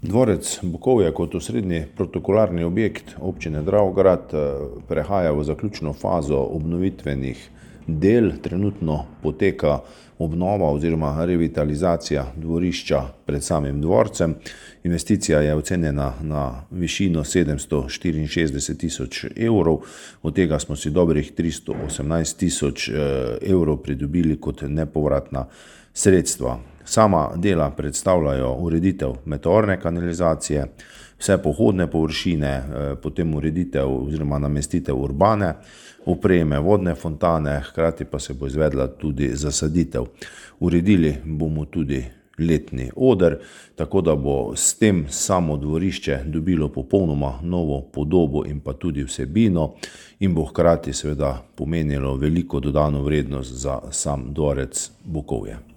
Dvorec Bukovje kot osrednji protokolarni objekt občine Dravograd prehaja v zaključno fazo obnovitvenih del. Trenutno poteka obnova oziroma revitalizacija dvorišča pred samim dvorcem. Investicija je ocenjena na višino 764 tisoč evrov, od tega smo si dobrih 318 tisoč evrov pridobili kot nepovratna sredstva. Sama dela predstavljajo ureditev meteorne kanalizacije, vse pohodne površine, potem ureditev oziroma namestitev urbane opreme, vodne fontane, hkrati pa se bo izvedla tudi zasaditev. Uredili bomo tudi letni oder, tako da bo s tem samo dvorišče dobilo popolnoma novo podobo in pa tudi vsebino in bo hkrati seveda pomenilo veliko dodano vrednost za sam dvorec Bukovje.